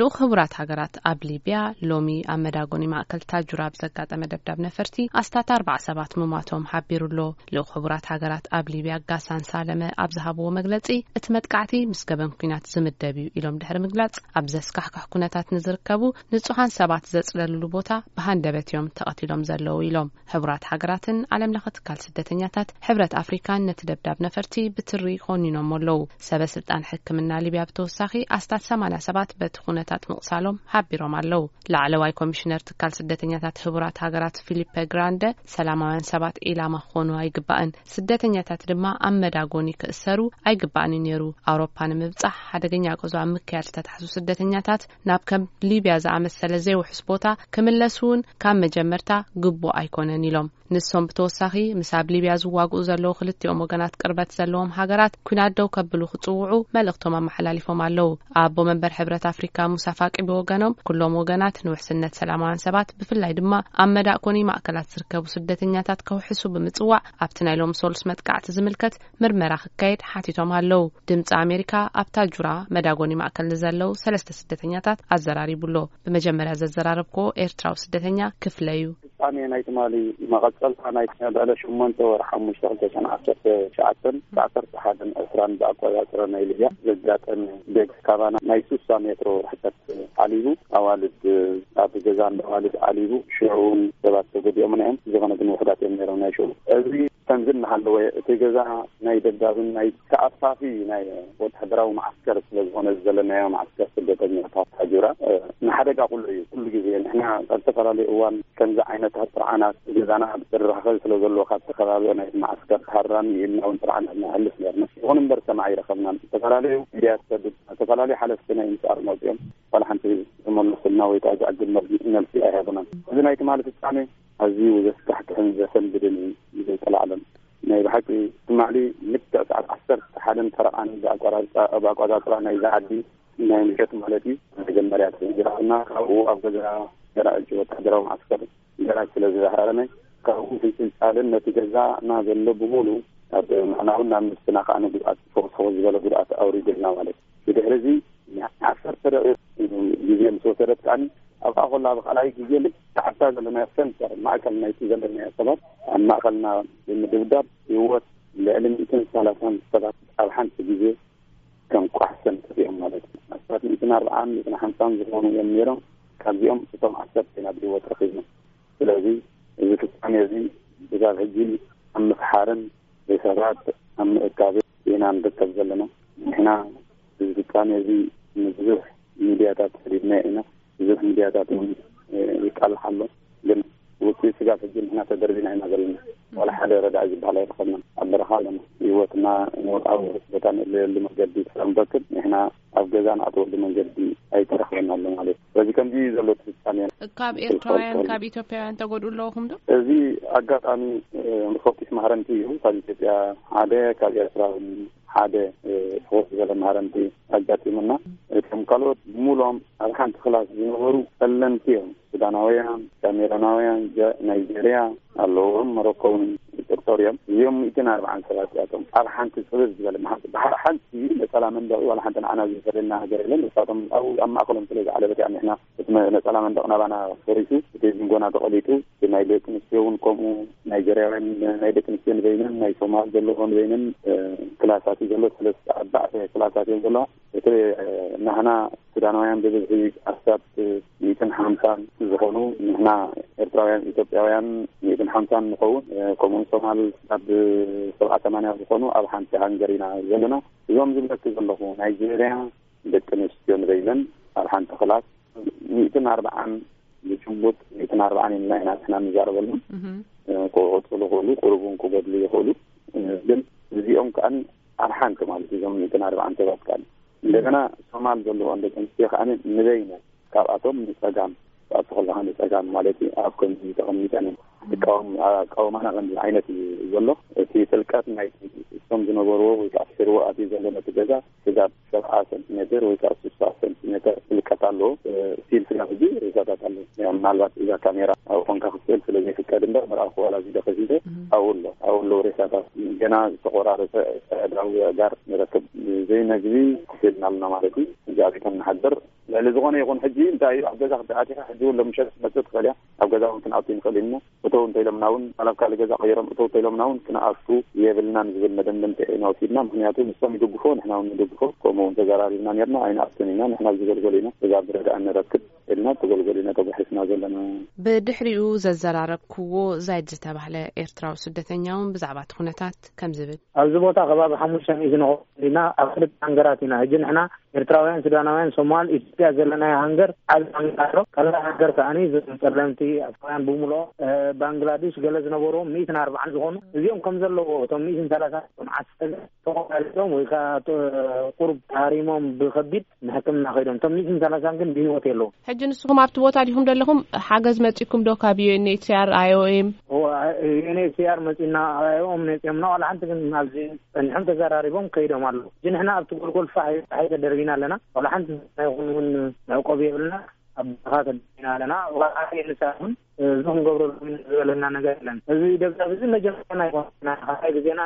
ልኡኽ ሕቡራት ሃገራት ኣብ ሊብያ ሎሚ ኣብ መዳጎኒ ማእከል ታጁራ ብዘጋጠመ ደብዳብ ነፈርቲ ኣስታት ኣርባዓ ሰባት ምሟቶም ሓቢሩ ኣሎ። ልኡኽ ሕቡራት ሃገራት ኣብ ሊብያ ጋሳን ሳለመ ኣብ ዝሃብዎ መግለጺ፣ እቲ መጥቃዕቲ ምስ ገበን ኲናት ዝምደብ እዩ ኢሎም ድሕሪ ምግላጽ፣ ኣብ ዘስካሕክሕ ኩነታት ንዝርከቡ ንጹሃን ሰባት ዘጽለልሉ ቦታ ብሃንደበት እዮም ተቐቲሎም ዘለዉ ኢሎም። ሕቡራት ሃገራትን ዓለም ለኸ ትካል ስደተኛታት ሕብረት ኣፍሪካን ነቲ ደብዳብ ነፈርቲ ብትሪ ኮኒኖሞ ኣለዉ። ሰበ ስልጣን ሕክምና ሊብያ ብተወሳኺ ኣስታት ሰማንያ ሰባት በቲ ኩነታት ምቕሳሎም ሓቢሮም ኣለዉ። ላዕለዋይ ኮሚሽነር ትካል ስደተኛታት ሕቡራት ሃገራት ፊሊፐ ግራንደ፣ ሰላማውያን ሰባት ዒላማ ክኾኑ ኣይግባእን፣ ስደተኛታት ድማ ኣብ መዳጎኒ ክእሰሩ ኣይግባእን እዩ ነይሩ። ኣውሮፓ ንምብጻሕ ሓደገኛ ጉዕዞ ኣብ ምክያድ ዝተታሕዙ ስደተኛታት ናብ ከም ሊብያ ዝኣመሰለ ዘይውሑስ ቦታ ክምለሱ እውን ካብ መጀመርታ ግቡእ ኣይኮነን ኢሎም። ንሶም ብተወሳኺ ምስ ኣብ ሊብያ ዝዋግኡ ዘለዉ ክልቲኦም ወገናት ቅርበት ዘለዎም ሃገራት ኲናት ደው ከብሉ ክጽውዑ መልእኽቶም ኣመሓላሊፎም ኣለዉ። ኣቦ መንበር ሕብረት ኣፍሪካ ሙሳ ፋቂ ብወገኖም፣ ኩሎም ወገናት ንውሕስነት ሰላማውያን ሰባት ብፍላይ ድማ ኣብ መዳእኮኒ ማእከላት ዝርከቡ ስደተኛታት ከውሕሱ ብምጽዋዕ፣ ኣብቲ ናይ ሎሚ ሶሉስ መጥቃዕቲ ዝምልከት ምርመራ ክካየድ ሓቲቶም ኣለዉ። ድምጺ ኣሜሪካ ኣብ ታጁራ መዳጎኒ ማእከል ንዘለዉ ሰለስተ ስደተኛታት ኣዘራሪቡ ኣሎ። ብመጀመርያ ዘዘራረብክዎ ኤርትራዊ ስደተኛ ክፍለ እዩ። ፍጻሜ ናይ ትማሊ መቐጸልታ ናይ ልዕሊ ሸሞንተ ወርሒ ሓሙሽተ ክልተ ሽሕን ዓሰርተ ትሽዓተን ዓሰርተ ሓደን ዕስራን ብኣቆጻጽራ ናይ ሊብያ ዘጋጠመ ዴግ ካባና ናይ ሱሳ ሜትሮ ርሕቀት ዓሊቡ፣ ኣዋልድ ኣብ ገዛ እንዳ ኣዋልድ ዓሊቡ፣ ሽዑ እውን ሰባት ተጎዲኦም እዮም። ዝኾነ ግን ውሑዳት እዮም ነይሮም ናይ ሽዑ። እዚ ከምዚ እናሃለወ እቲ ገዛ ናይ ደብዳብን ናይ ተኣፋፊ ናይ ወታደራዊ መዓስከር ስለ ዝኾነ ዘለናዮ መዓስከር ስደተኛታት ታጁራ፣ እ፣ ንሓደጋ ኩሉ እዩ። ኩሉ ግዜ ንሕና ኣብ ዝተፈላለዩ እዋን ከምዚ ዓይነታት ጥርዓናት ገዛና ብተደራኸቢ ስለ ዘለዎ ካብቲ ከባቢ ናይ መዓስከር ሃራሚ ኢልና እውን ጥርዓናት ነሕልፍ ነርና። ይኹን እምበር ሰማዕ ኣይረኸብናን። ዝተፈላለዩ ሚድያታት፣ ዝተፈላለዩ ሓለፍቲ ናይ ኤምኤስኣር መፅኦም ዋላ ሓንቲ ዝመለሱልና ወይ ከዓ ዝዕግብ መልሲ ኣይሃቡናን። እዚ ናይ ትማሊ ፍጻሜ ኣዝዩ ዘስካሕክሕን ዘሰንብድን እዩ፣ ብዘይቀላዕለም። ናይ ብሓቂ ትማሊ ልክዕ ሰዓት ዓሰርተ ሓደን ፈረቓን ብኣቆራርፃ፣ ብኣቆፃፅራ ናይዛ ዓዲ ናይ ምሸት ማለት እዩ። መጀመርያ ተጀሚራትና ካብኡ ኣብ ገዛ ገራጅ ወታደራዊ ማዕስከር ገራጅ ስለ ዝዛሃረመ ካብኡ ፍንጭልጫልን ነቲ ገዛና ዘሎ ብምሉ ኣብ ምዕናውን ናብ ነብስና ከዓ ንጉድኣት ፈወስ ዝበለ ጉድኣት ኣውሪዱልና ማለት እዩ። ብድሕሪ እዚ ዓሰርተ ደቂቕ ግዜ ምስ ወሰደት ከዓኒ ኣብኣ ከላ ብካልኣይ ግዜ ልክዕ ኣብታ ዘለናዮ ሰንተር ማእከል ናይቲ ዘለናዮ ሰባት ኣብ ማእከልና ብምድብዳብ ህይወት ልዕሊ ሚእትን ሰላሳን ሰባት ኣብ ሓንቲ ግዜ ከም ቋሕ ሰንጠር እዮም ማለት እዩ። ኣስታት ሚእትን ኣርብዓን ሚእትን ሓምሳን ዝኾኑ እዮም ነይሮም። ካብዚኦም እቶም ዓሰርተ ኢና ብህይወት ረኺብና። ስለዚ እዚ ፍጻሜ እዚ ክሳብ ሕጂ ኣብ ምፍሓርን ሬሳታት ኣብ ምእካብን ኢና ንርከብ ዘለና። ንሕና እዚ ፍጻሜ እዚ ንብዙሕ ሚድያታት ሰዲድናዮ ኢና። ብዙሕ ሚድያታት እውን ይቃልሕ ኣሎ። ግን ውፅኢት ስጋብ ሕጂ ንሕና ተደርቢና ኢና ዘለና። ዋላ ሓደ ረዳኢ ዝበሃል ኣይረኸብናን። ኣብ በረኻ ኣለና። ህይወትና ንወድዓዊ ቦታ ንእለየሉ መገዲ ክሳብ ንረክብ ንሕና ኣብ ገዛ ንኣትወሉ መንገዲ ኣይተረኽበና ኣሎ ማለት እዩ። ስለዚ ከምዚ እዩ ዘሎ እቲ ፍጻሜ። ካብ ኤርትራውያን፣ ካብ ኢትዮጵያውያን ተጎድኡ ኣለኹም ዶ? እዚ ኣጋጣሚ እ፣ ንፈቂስ ማህረምቲ እዩ። ካብ ኢትዮጵያ ሓደ፣ ካብ ኤርትራ እውን ሓደ እ፣ ፍኹስ ዝበለ ማህረምቲ ኣጋጢሙና። እቶም ካልኦት ብምሉኦም ኣብ ሓንቲ ክላስ ዝነበሩ ጸለምቲ እዮም። ሱዳናውያን፣ ካሜሮናውያን፣ ጀ-፣ ናይጀርያ ኣለዎም፣ መሮኮ እውን ይጥርጠሩ እዮም። እዚኦም ሚእትን ኣርባዓን ሰባት እያቶም ኣብ ሓንቲ ጽብብ ዝበለ መሓ-፣ ብሓ-፣ ሓንቲ ነጸላ መንደቕ ዋላ ሓንቲ ንዓና ዝፈልየና ነገር የለን። ንሳቶም ኣብኡ ኣብ ማእከሎም ስለ ዝዓለበት እያ ንሕና እቲ መ-፣ ነጸላ መንደቕ ናባና ፈሪሱ፣ እቲ ጅንጎና ተቐሊጡ፣ እቲ ናይ ደቂ ኣንስትዮ እውን ከምኡ፣ ናይጀርያውያን ናይ ደቂ ኣንስትዮ ንበይነን፣ ናይ ሶማል ዘለዎ ንበይነን፣ እ፣ ክላሳት እዩ ዘሎ። ሰለስተ ኣርባዕተ ክላሳት እዮም ዘለዋ። እቲ፣ እ፣ ናህና ሱዳናውያን ብብዝሒ ኣስታት ሚእትን ሓምሳን ዝኾኑ፣ ንሕና ኤርትራውያን ኢትዮጵያውያን ሚእትን ሓምሳን ንኸውን፣ እ፣ ከምኡውን ሶማል ኣብ ሰብዓ ሰማንያ ዝኾኑ ኣብ ሓንቲ ሃንገር ኢና ዘለና። እዞም ዝብለኪ ዘለኹ ናይጀርያ ደቂ ኣንስትዮ ንበይነን ኣብ ሓንቲ ክላስ ሚእትን ኣርባዓን ብጭቡጥ ሚእትን ኣርባዓን ኢልና ኢና ንሕና ንዛረበሎም። እህ። እ፣ ክቕጽሉ ይኽእሉ፣ ቁሩብ እውን ክጎድሉ ይኽእሉ። እ፣ ግን እዚኦም ከኣ ኣብ ሓንቲ ማለት እዩ፣ እዞም ሚእትን ኣርባዓን ሰባት ከኣ። እንደገና ሶማል ዘለዎን ደቂ ኣንስትዮ ከኣ ንበይነን ካብኣቶም ንጸጋም፣ ክትኣቱ ከለኻ ንጸጋም ማለት እዩ፣ ኣብ ከምዚ ተቐሚጠን እየን። እቃወም-፣ ኣቃውማና ከምዚ ዓይነት እዩ ዘሎ። እቲ ጥልቀት ናይቲ እቶም ዝነበርዎ ወይ ከዓ ስዒርዎ ኣትዩ ዘሎ ነቲ ገዛ ስጋብ ሰብዓ ሰንቲሜትር ወይ ከዓ ስሳ ሰንቲሜትር ጥልቀት ኣለዎ። እ፣ ስቲል ስጋብ ሕጂ ሬሳታት ኣለዉ። ያው ምናልባት እዛ ካሜራ ኣብኡ ኮንካ ክትስእል ስለ ዘይፍቀድ እምበር፣ ምርኣኹ ዋላ እዚ ዶ ከፊተ እህ። ኣብኡ ኣሎ፣ ኣብኡ ኣለዉ ሬሳታት። ገና ዝተቆራረጸ ኣእዳው ኣእጋር ንረክብ። ዘይመግቢ ኮፍ ኢልና ኣለና ማለት እዩ። እዚ ኣብ ቤቶም ንሓድር። ልዕሊ ዝኾነ ይኹን ሕጂ እንታይ እዩ ኣብ ገዛ ክትኣትያ ሕጂ እውን ሎምሸት ክትመጽእ ትኽእል እያ። ኣብ ገዛ እውን ክንኣቱ ንኽእል ኢና። እተው እንተኢሎምና እውን ዋላ ኣብ ካልእ ገዛ ቀይሮም እተው እንተኢሎምና እውን ክንኣቱ የብልናን ዝብል መደምደምታ ኢና ወሲድና። ምኽንያቱ ንሶም ይድግፎ፣ ንሕና እውን ንድግፎ። ከምኡ እውን ተዘራሪብና ነርና። ኣይንኣቱን ኢና፣ ንሕና ዝገልገሉ ኢና፣ እዛ ብረዳእ ንረክብ ኢልና ተገልገሉ ኢና ተጓሒስና ዘለና። ብድሕሪኡ ዘዘራረብክዎ ዛይድ ዝተባህለ ኤርትራዊ ስደተኛ እውን ብዛዕባ እቲ ኩነታት ከም ዝብል። ኣብዚ ቦታ ከባቢ ሓሙሽተ ሚእቲ ንኸውን ኢና። ኣብ ክልተ ሃንገራት ኢና። ሕጂ ንሕና ኤርትራውያን፣ ሱዳናውያን፣ ሶማል፣ ኢትዮጵያ ዘለናዮ ሃንገር ዓቢ ሃንገር ኣሎ። ካልእ ሃንገር ከኣኒ እዞም ጸለምቲ ኣፍሪቃውያን ብምልኦ፣ እ፣ ባንግላዴሽ ገለ ዝነበርዎም ሚእትን ኣርባዓን ዝኾኑ እዚኦም ከም ዘለዎ እቶም ሚእትን ሰላሳን ዓሰርተ ተቆራሪጾም ወይ ከኣ ቁሩብ ተሃሪሞም ብኸቢድ ንሕክምና ከይዶም። እቶም ሚእትን ሰላሳን ግን ብህይወት የለዉ። ሕጂ ንስኹም ኣብቲ ቦታ ዲኹም ዘለኹም? ሓገዝ መጺኩም ዶ ካብ ዩኤንኤችሲኣር፣ ኣይኦኤም? ዩኤንኤችሲኣር መጺና፣ ኣይኦኤም መጺኦምና፣ ዋላ ሓንቲ ግን ኣብዚ ጸኒሖም ተዘራሪቦም ከይዶም ኣለዉ። ሕጂ ንሕና ኣብቲ ጎልጎል ፋሕ ፋሕ ተደርቢና ኣለና። ዋላ ሓንቲ ይኹን እውን መዕቆቢ የብልና። ኣብ በረኻ ተደርቢና ኣለና። ዋላ ሓደ ንሳ እውን እዚ ክንገብረሉ ዝበለና ነገር የለን። እዚ ደብዳብ እዚ መጀመርያ ኣይኮነን። ካልኣይ ግዜና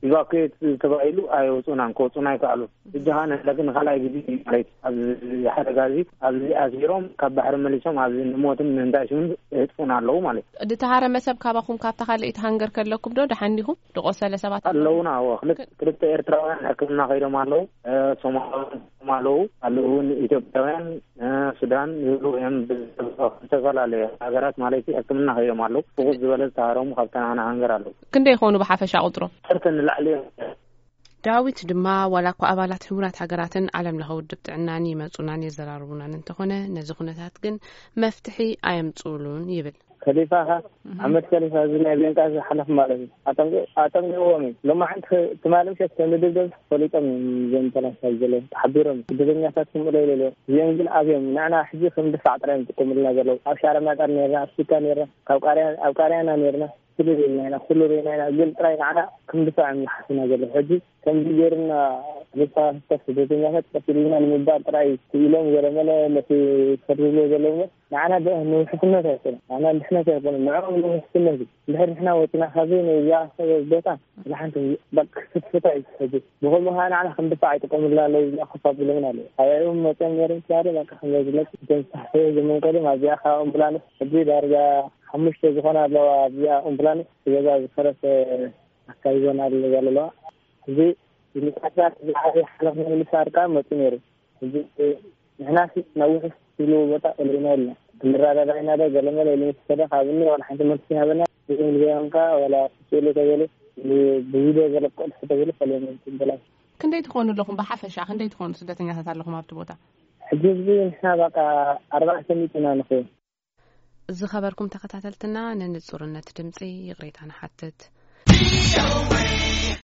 ኢቫኩዌት ተባሂሉ ኣይወፁናን፣ ክወፁና ኣይከኣሉን። ሕጂ ኸዓ ንሕና ግን ንኻልኣይ ግዜ ማለት ኣብዚ ሓደጋ እዚ ኣብዚ ኣሲሮም ካብ ባሕሪ መሊሶም ኣብዚ ንሞትን ንእንዳሽውን የጥፉና ኣለዉ ማለት እዩ። ድተሃረመ ሰብ ካባኹም ካብታ ካልኣይቲ ሃንገር ከለኩም ዶ ደሓን ዲኹም? ድቆሰለ ሰባት ኣለዉ? ኣለዉና። እዎ፣ ክልተ፣ ክልተ ኤርትራውያን ሕክምና ከይዶም ኣለዉ። እ፣ ሶማላውያን ኣለዉ። ኣለዉ እውን ኢትዮጵያውያን፣ እ፣ ሱዳን ይብሉ እዮም። ብዝተፈላለየ ሃገራት ማለት እዩ ሕክምና ከይዶም ኣለዉ። ብቑፅ ዝበለ ዝተሃረሙ ካብታ ንዓና ሃንገር ኣለዉ። ክንደይ ይኾኑ ብሓፈሻ ቁፅሮም? ዓሰርተ ንላዕሊ እዮም። ዳዊት ድማ ዋላ እኳ ኣባላት ሕቡራት ሃገራትን ዓለም ለኸ ውድብ ጥዕናን ይመፁናን የዘራርቡናን እንተኾነ ነዚ ኩነታት ግን መፍትሒ ኣየምፅኡሉን ይብል። ከሊፋኻ፣ ኣሕመድ ከሊፋ፣ እዚ ናይ ቤንቃዚ ሓለፍ ማለት እዩ። ኣጠንቂ-፣ ኣጠንቂቕዎም እዩ። ሎማዓንቲ ትማሊ ምሸት ከም ዝድብደብ ፈሊጦም እዮም። እዞም ፈላስፋ ዘለዉ ተሓቢሮም ስደተኛታት ክምእሎ ኢለ ኣለዎ። እዚኦም ግን ኣብዮም ንዕና ሕጂ ከም ድፋዕ ጥራይ እዮም ዝጥቀሙልና ዘለዉ። ኣብ ሻረ ማጣር ነርና፣ ኣብ ሱካ ነርና፣ ካብ ቃርያ-፣ ኣብ ቃርያና ነርና። ኩሉ ርኢና ኢና፣ ኩሉ ርኢና ኢና። ግን ጥራይ ንዓና ከም ድፋዕ እዮም ዝሓስቡና ዘለዉ። ሕጂ ከምዚ ገይሩና፣ ክልተ ስደተኛታት ቀቲሉና ንምባል ጥራይ ክኢሎም ገለመለ ነቲ ፈርድሎ ዘለዉ እምበር ንዓና ደ-፣ ንውሕስነት ኣይኮነን፣ ንዓና ንድሕነት ኣይኮነን፣ ንዕኦም ንውሕስነት እዩ። እንድሕር ንሕና ወፂና ካብዚ ነዚኣ ቦታ ንሓንቲ በቃ ክትፍታ እዩ ትሕጂ። ብኸምኡ ከዓ ንዓና ከም ድፋዕ ይጥቀሙልና ኣለዉ፣ እዚኣ ኮፍ ኣቢሎምና ኣለዉ። ኣብኦም መፅኦም ነይሮም ትባለ በቃ ከም ዝለቅ እቶም ዝተሓሰበ ዘመንቀሎም ኣብዚኣ ካብ ኣምቡላንስ ሕጂ ዳርጋ ሓሙሽተ ዝኾና ኣለዋ። ኣብዚኣ ኣምቡላንስ ገዛ ዝፈረሰ ኣካይዞን ኣለዋ። እዚ ንምሳሳት ዝዓበየ ሓለፍ ምምልሳር ከዓ መፁ ነይሩ። እዚ ንሕናሲ ናብ ውሑስ ትብልዎ ቦታ ቀሊዕና ኢልና ክንረዳዳ ኢና ዶ ገለመለ ኢሉ ምስ ከደ ካብኒ ዋላ ሓንቲ መልሲ ሃበና። ብእንግሊዝኛ ቋንቋ ዋላ ስእሉ ተበሉ ብቪድዮ ገለ ክቆልሑ ተበሉ ፈሊዮም ይበላል። ክንደይ ትኾኑ ኣለኹም? ብሓፈሻ ክንደይ ትኾኑ ስደተኛታት ኣለኹም ኣብቲ ቦታ? ሕጂ ህዝቢ ንሕና በቃ ኣርባዕተ ሚእቲ ኢና ንኸውን። ዝኸበርኩም ተኸታተልትና፣ ንንጹርነት ድምጺ ይቕሬታ ንሓትት።